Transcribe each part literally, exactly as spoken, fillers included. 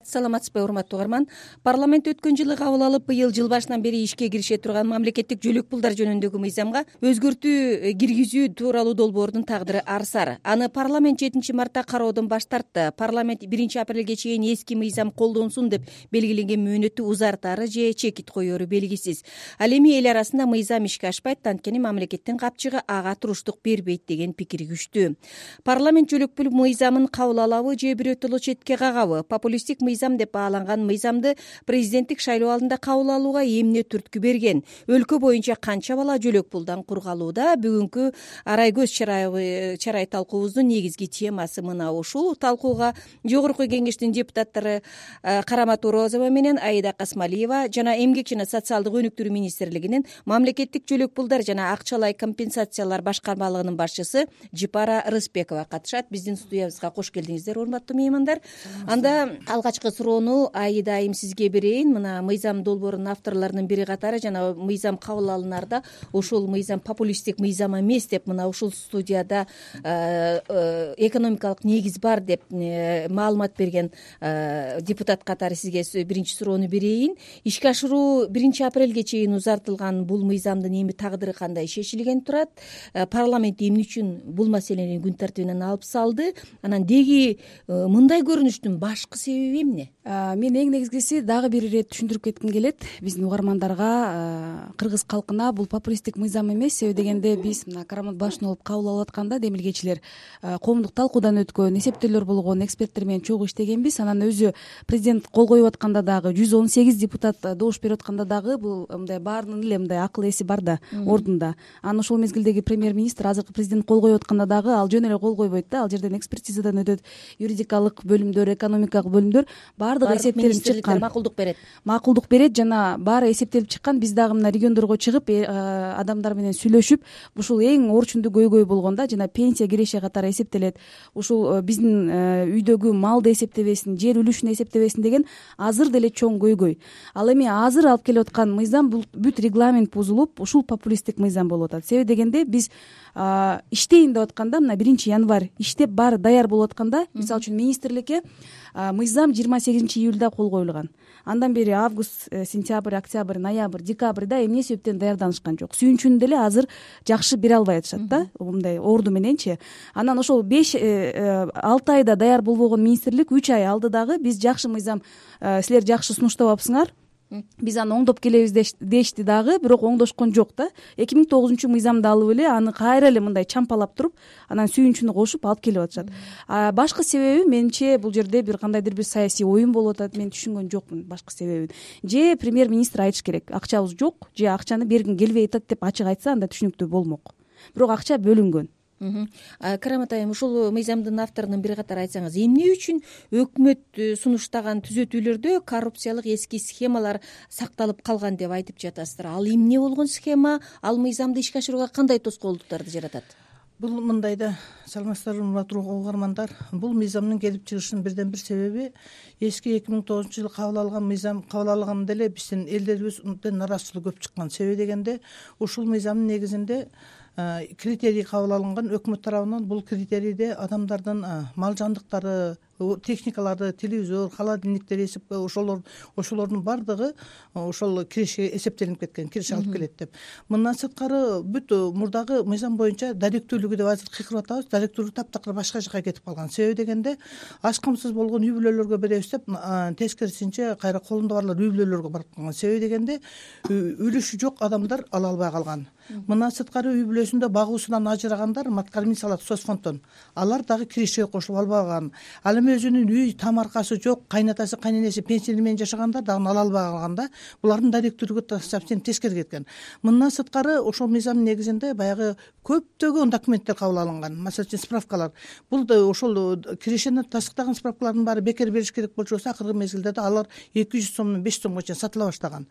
саламатсызбы урматтуу угарман. Парламент өткөн жылы кабыл алып, быйыл жыл башынан бери ишке кирише турган мамлекеттик жөлөк пулдар жөнүндөгү мыйзамга өзгөртүү киргизүү тууралуу долбоордун тагдыры арсар. Аны парламент жетинчи мартта кароодон баш тартты. Парламент биринчи апрелге чейин эски мыйзам колдонсун деп белгиленген мөөнөттү узартары же чекит коеру белгисиз. Ал эми эл арасында мыйзам ишке ашпайт, анткени мамлекеттин капчыгы ага туруштук бербейт деген пикир күчтүү. Парламент жөлөк пул мыйзамын кабыл алабы же бирөөтөлө четке кагабы? Популисттик мыйзам деп бааланган мыйзамды президенттик шайлоо алдында кабыл алууга эмне түрткү берген? Өлкө боюнча канча бала жөлөк пулдан кургалууда? Бүгүнкү арай көз чарай чарай талкуубуздун негизги темасы мына ушул. Талкууга жогорку кеңештин депутаттары Карамат Орозова менен Аида Касмалиева жана Эмгек жана социалдык өнүктүрүү министрлигинин мамлекеттик жөлөк пулдар жана акчалай компенсациялар башкармалыгынын башчысы Жипара Рыспекова катышат. Биздин студиябызга кош келдиңиздер, урматтуу меймандар. Анда алгачкы суроону Аида айым сизге берейин. Мына мыйзам долбоорунун авторлорунун бири катары жана мыйзам кабыл алынарда ушул мыйзам популисттик мыйзам эмес деп мына ушул студияда экономикалык негиз бар деп маалымат берген депутат катары сизге биринчи суроону берейин. Ишке ашыруу биринчи апрелге чейин узартылган бул мыйзамдын эми тагдыры кандай шешилген турат? Парламент эмне үчүн бул маселени күн тартибинен алып салды? Анан деги мындай көрүнүштүн башкы себеби эмне? Мен эң негизгиси дагы бир ирет түшүндүрүп кетким келет биздин угармандарга, кыргыз калкына. Бул популисттик мыйзам эмес. Себеби дегенде биз мына Карамат башын алып кабыл алып атканда демилгечилер коомдук талкуудан өткөн, эсептөөлөр болгон эксперттер менен чогуу иштегенбиз. Анан өзү президент кол коюп атканда дагы жүз он сегиз депутат добуш берип атканда дагы бул мындай баарынын эле мындай акыл эси бар да ордунда. Анан ошол мезгилдеги премьер-министр азыркы президент кол коюп атканда дагы ал жөн эле кол койбойт да. Ал жерден экспертизадан өтөт, юридикалык бөлүмдөр, экономикалык бөлүмдөр баардыгы эсептелип чыккан. Макулдук берет. Макулдук берет жана баары эсептелип чыккан. Биз дагы мына региондорго чыгып адамдар менен сүйлөшүп, ушул эң орчундуу көйгөй болгон да, жана пенсия киреше катары эсептелет. Ушул биздин үйдөгү малды эсептебесин, жер үлүшүн эсептебесин деген азыр деле чоң көйгөй. Ал эми азыр алып келип аткан мыйзам бул бүт регламент бузулуп, ушул популисттик мыйзам болуп атат. Себеби дегенде биз иштейин деп атканда мына биринчи январь иштеп баары даяр болуп атканда, мисалы үчүн министрликке мыйзам жыйырма сегизинчи июльда кол коюлган. Андан бери август, сентябрь, октябрь, ноябрь, декабрда эмне себептен даярданышкан жок. Сүйүнчүн деле азыр жакшы бере албай атышат да, мындай орду мененчи. Анан ошол беш алты айда даяр болбогон министрлик үч ай алды дагы биз жакшы мыйзам, силер жакшы сунуштабапсыңар, биз аны оңдоп келебиз дешти дагы, бирок оңдошкон жок да. эки миң тогузунчу мыйзамды алып эле аны кайра эле мындай чампалап туруп, анан сүйүнчүнү кошуп алып келип атышат. Башкы себеби менимче бул жерде бир кандайдыр бир саясий оюн болуп атат. Мен түшүнгөн жокмун башкы себебин. Же премьер-министр айтыш керек, акчабыз жок, же акчаны бергим келбей атат деп ачык айтса, анда түшүнүктүү болмок. Бирок акча бөлүнгөн. Карамат айым, ушул мыйзамдын авторунун бири катары айтсаңыз, эмне үчүн өкмөт сунуштаган түзөтүүлөрдө коррупциялык эски схемалар сакталып калган деп айтып жатасыздар? Ал эмне болгон схема? Ал мыйзамды ишке ашырууга кандай тоскоолдуктарды жаратат? Бул мындай да, саламатсыздарбы урматтуу угармандар. Бул мыйзамдын келип чыгышынын бирден бир себеби эски эки миң тогузунчу жылы кабыл алган мыйзам кабыл алган деле биздин элдерибизден нараазычылык көп чыккан. Себеби дегенде ушул мыйзамдын негизинде критерий кабыл алынган өкмөт тарабынан. Бул критерийде адамдардын мал жандыктары, техникаларды, телевизор, холодильниктер эсеп, ошолор ошолордун баардыгы ошол киреше эсептелип кеткен, киреше алып келет деп. Мындан сырткары бүт мурдагы мыйзам боюнча даректүүлүгү деп азыр кыйкырып атабыз, даректүүлүгү таптакыр башка жака кетип калган. Себеби дегенде аш камсыз болгон үй бүлөлөргө беребиз деп тескерисинче кайра колунда барлар үй бүлөлөргө барып калган. Себеби дегенде үлүшү жок адамдар ала албай калган. Мындан сырткары үй бүлөсүндө багуусунан ажырагандар, маткармин салат соцфонддон, алар дагы кирешеге кошулуп албаган. Ал эми өзүнүн үй тамаркасы жок, кайнатасы, кайненеси пенсия менен жашагандар дагы ала албай калган да. Булардын даректүүлүгү совсем тескери кеткен. Мындан сырткары ошол мыйзамдын негизинде баягы көптөгөн документтер кабыл алынган. Масалы үчүн справкалар. Бул да ошол кирешени тастыктаган справкалардын баары бекер бериш керек болчу болсо, акыркы мезгилде да алар эки жүз сомдон беш сомго чейин сатыла баштаган.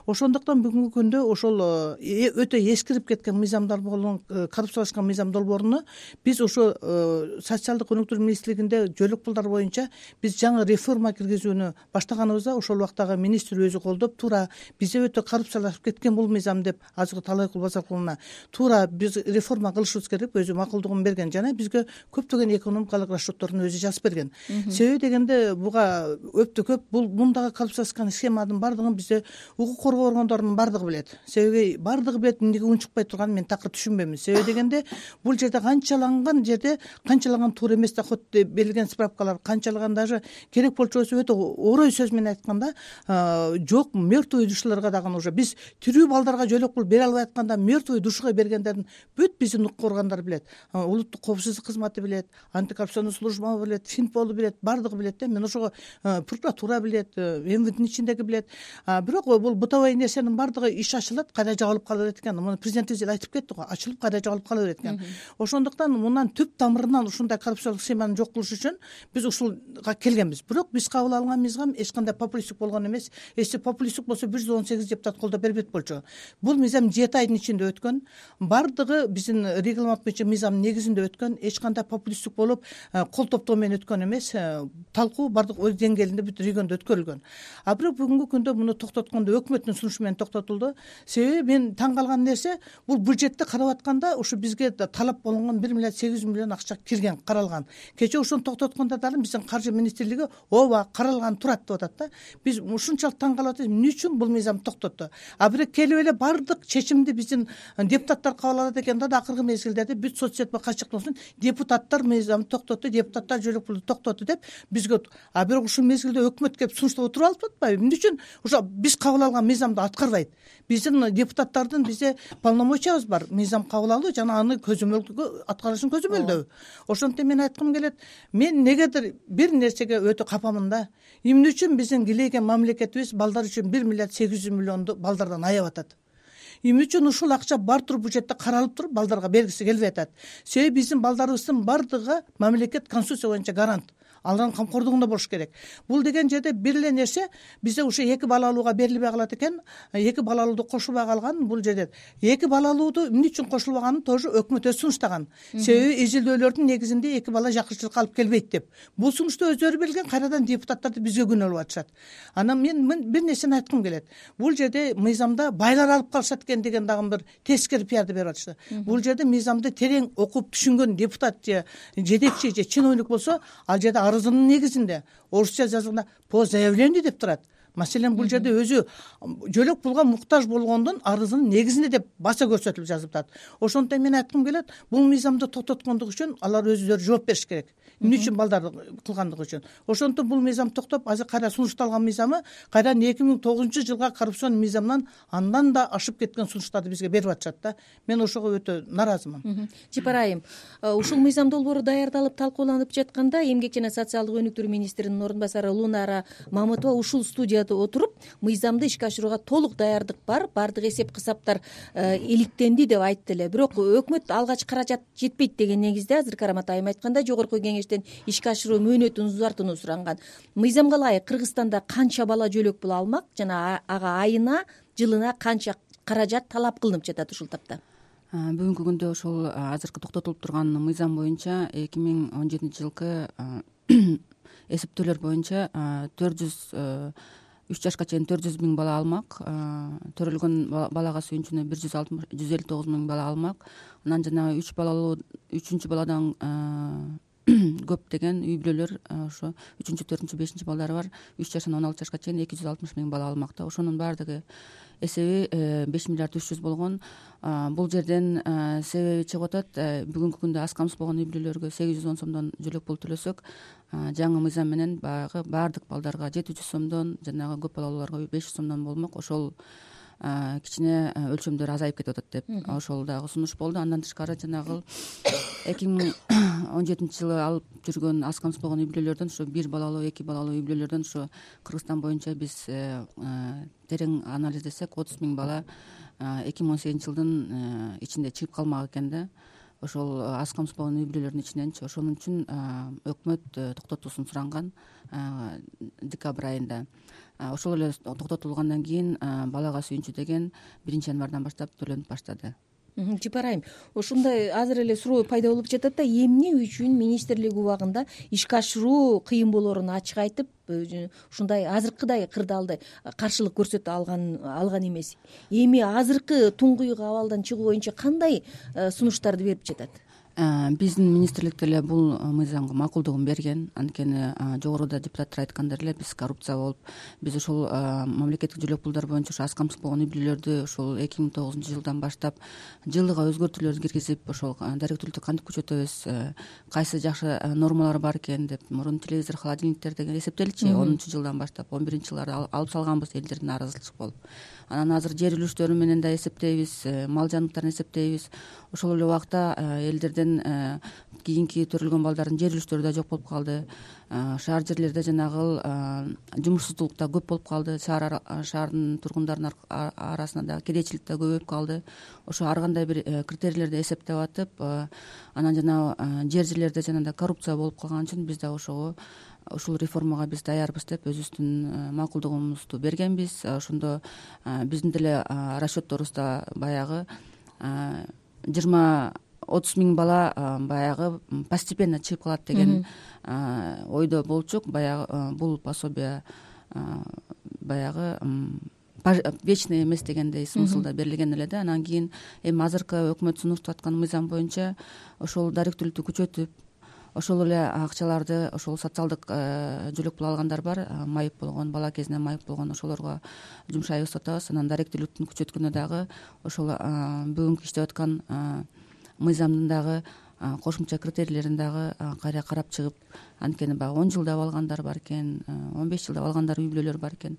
Ошондуктан бүгүнкү күндө ошол өтө эскирип кеткен мыйзамдар болгон коррупциялашкан мыйзам долбооруну биз ошо социалдык өнүктүрүү министрлигинде жөлөк пулдар боюнча биз жаңы реформа киргизүүнү баштаганыбызда ошол убактагы министр өзү колдоп туура бизде өтө коррупциялашып кеткен бул мыйзам деп азыркы талайкул базаркуловна туура биз реформа кылышыбыз керек өзү макулдугун берген жана бизге көптөгөн экономикалык расчетторун өзү жазып берген. Себеби дегенде буга өтө көп бул мундагы коррупциялашкан схеманын баардыгын бизде укук коргоо органдорунун баардыгы билет. Себеби баардыгы билет, эмнеге унчукпай турганын мен такыр түшүнбөйм. Себеби дегенде бул жерде канчаланган жерде канчалаган туура эмес доход берилген справкалар, канчалаган даже керек болчу болсо өтө орой сөз менен айтканда жок мертвый душаларга дагы уже биз тирүү балдарга жөлөк пул бере албай атканда мертвый душага бергендердин бүт биздин укук органдар билет, улуттук коопсуздук кызматы билет, антикоррупционный служба билет, Финполу билет, баардыгы билет да. Мен ошого прокуратура билет, МВДнин ичиндеги билет. Бирок бул бытовой нерсенин баардыгы иш ачылат, кайра жабылып кала берет экен. Муну президентибиз эле айтып кетти го, ачылып кайра жабылып кала берет экен. Ошондуктан мындан түп тамырынан ушундай коррупциялык схеманы жок кылыш үчүн биз ушулга келгенбиз. Бирок биз кабыл алган мыйзам эч кандай популисттик болгон эмес. Эссе популисттик болсо бир жүз он сегиз депутат колдоп бербейт болчу. Бул мыйзам жети айдын ичинде өткөн. Баардыгы биздин регламент боюнча мыйзамдын негизинде өткөн. Эч кандай популисттик болуп кол топтоо менен өткөн эмес. Талкуу баардык өз деңгээлинде бүт региондо өткөрүлгөн. А бирок бүгүнкү күндө муну токтоткондо өкмөттүн сунушу менен токтотулду. Себеби мен таң калган нерсе бул бюджетти карап атканда ушу бизге талап болгон бир миллиард сегиз жүз миллион акча кирген, каралган. Кечээ ошону токтоткондо дагы биздин каржы министрлиги ооба каралган турат деп атат да. Биз ушунчалык таң калып атабыз, эмне үчүн бул мыйзам токтотту? А бирок келип эле баардык чечимди биздин депутаттар кабыл алат экен да, акыркы мезгилдерде бүт соц сет качыктоосун депутаттар мыйзамды токтотту, депутаттар жөлөк пулду токтотту деп бизге. А бирок ушул мезгилде өкмөт келип сунуштап отуруп алыппы? Эмне үчүн ошо биз кабыл алган мыйзамды аткарбайт? Биздин депутаттардын бизде полномочиябыз бар, мыйзам кабыл алуу жана аны көзөмөлдөө аткарышын көзөмөлдөө. Ошондуктан мен айткым келет, мен негедир бир нерсеге өтө капамын да. Эмне үчүн биздин килейген мамлекетибиз балдар үчүн бир миллиард сегиз жүз миллионду балдардан аяп атат? Эмне үчүн ушул акча бар туруп бюджетте каралып туруп балдарга бергиси келбей атат? Себеби биздин балдарыбыздын баардыгы мамлекет конституция боюнча гарант. Алардын камкордугунда болуш керек. Бул деген жерде бир эле нерсе бизде ушу эки балалууга берилбей калат экен. Эки балалууду кошулбай калган бул жерде. Эки балалууду эмне үчүн кошулбаганын тоже өкмөт өзү сунуштаган. Себеби изилдөөлөрдүн негизинде эки бала жакынчылыкка алып келбейт деп. Бул сунушту өздөрү берген, кайрадан депутаттарды бизге күнөөлөп атышат. Анан мен бир нерсени айткым келет. Бул жерде мыйзамда байлар алып калышат экен деген дагы бир тескери пиарды берип атышты. Бул жерде мыйзамды терең окуп түшүнгөн депутат же жетекчи же чиновник болсо, ал жерде арызынын негизинде орусча жазылганда по заявлению деп турат. Маселен бул жерде өзү жөлөк пулга муктаж болгондун арызынын негизинде деп баса көрсөтүлүп жазылып атат. Ошондуктан мен айткым келет, бул мыйзамды токтоткондугу үчүн алар өздөрү жооп бериш керек. Эмне үчүн балдарды кылгандыгы үчүн. Ошондуктан бул мыйзам токтоп, азыр кайра сунушталган мыйзамы кайрадан эки миң тогузунчу жылга коррупцион мыйзамдан андан да ашып кеткен сунуштарды бизге берип атышат да. Мен ошого өтө наразымын. Жипар айым, ушул мыйзам долбоору даярдалып талкууланып жатканда Эмгек жана социалдык өнүктүрүү министринин орун басары Лунара Мамытова ушул студияда отуруп, мыйзамды ишке ашырууга толук даярдык бар, баардык эсеп кысаптар иликтенди деп айтты эле. Бирок өкмөт алгач каражат жетпейт деген негизде азыр Карамат айым айткандай жогорку кеңештен ишке ашыруу мөөнөтүн узартууну суранган. Мыйзамга ылайык Кыргызстанда канча бала жөлөк пул алмак жана ага айына, жылына канча каражат талап кылынып жатат ушул тапта? Бүгүнкү күндө ошол азыркы токтотулуп турган мыйзам боюнча эки миң он жетинчи жылкы эсептөөлөр боюнча төрт жүз үч жашка чейин төрт жүз миң бала алмак, төрөлгөн балага сүйүнчүнө бир жүз алтымыш жүз элүү тогуз миң бала алмак. Анан жана үч балалуу үчүнчү баладан көп деген үй бүлөлөр ошо үчүнчү төртүнчү бешинчи балдары бар үч жаштан он алты жашка чейин эки жүз алтымыш миң бала алмак да. Ошонун баардыгы эсеби беш миллиард үч жүз болгон. Бул жерден себеби чыгып атат, бүгүнкү күндө аз камсыз болгон үй бүлөлөргө сегиз жүз он сомдон жөлөк пул төлөсөк, жаңы мыйзам менен баягы баардык балдарга жети жүз сомдон, жанагы көп балалууларга беш жүз сомдон болмок. Ошол кичине өлчөмдөр азайып кетип атат деп ошол дагы сунуш болду. Андан тышкары жанагы эки миң он жетинчи жылы алып жүргөн аз камсыз болгон үй бүлөлөрдөн, ошо бир балалуу, эки балалуу үй бүлөлөрдөн ошо Кыргызстан боюнча биз терең анализдесек отуз миң бала эки миң он сегизинчи жылдын ичинде чыгып калмак экен да. Ошол аз камсыз болгон үй бүлөлөрдүн ичиненчи. Ошонун үчүн өкмөт токтотуусун суранган декабрь айында. Ошол эле токтотулгандан кийин балага сүйүнчү деген биринчи январдан баштап төлөнүп баштады. Жыпар айым, ушундай азыр эле суроо пайда болуп жатат да, эмне үчүн министрлик убагында ишке ашыруу кыйын болоорун ачык айтып, ушундай азыркыдай кырдаалды каршылык көрсөтө алган алган эмес. Эми азыркы туңгуюк абалдан чыгуу боюнча кандай сунуштарды берип жатат? Биздин министрлик деле бул мыйзамга макулдугун берген. Анткени жогоруда депутаттар айткандай эле биз коррупция болуп, биз ушул мамлекеттик жүлөк пулдар боюнча ушу аз камсыз болгон үй бүлөлөрдү ушул эки миң тогузунчу жылдан баштап жылыга өзгөртүүлөр киргизип, ошол даректүүлүктү кантип күчөтөбүз, кайсы жакшы нормалар бар экен деп мурун телевизор, холодильниктер деген эсептелчү. онунчу жылдан баштап он биринчи жылдары алып салганбыз элдердин нааразычылык болуп. Анан азыр жер үлүштөрү менен да эсептейбиз, мал жаныбарын эсептейбиз. Ошол эле убакта элдерден кийинки төрөлгөн балдардын жер үлүштөрү да жок болуп калды. Шаар жерлерде жанагы жумушсуздук да көп болуп калды. Шаар шаардын тургундарынын арасында дагы кедейчилик да көбөйүп калды. Ошо ар кандай бир критерийлерди эсептеп атып, анан жанагы жер жерлерде жанагындай коррупция болуп калган үчүн биз да ошого ушул реформага биз даярбыз деп өзүбүздүн макулдугубузду бергенбиз. Ошондо биздин деле расчетторубузда баягы жыйырма отуз миң бала баягы постепенно чыгып калат деген ойдо болчук. Баягы бул пособие баягы вечный эмес дегендей смыслда берилген эле да. Анан кийин эми азыркы өкмөт сунуштап аткан мыйзам боюнча ошол даректүүлүктү күчөтүп, ошол эле акчаларды ошол социалдык жүлөк пул алгандар бар, майып болгон, бала кезинен майып болгон, ошолорго жумшайбыз деп атабыз. Анан даректүүлүктүн күчөткөнү дагы ошол бүгүнкү иштеп аткан мыйзамдын дагы кошумча критерийлерин дагы кайра карап чыгып, анткени баягы он жылдап алгандар бар экен, он беш жылдап алгандар үй бүлөлөр бар экен.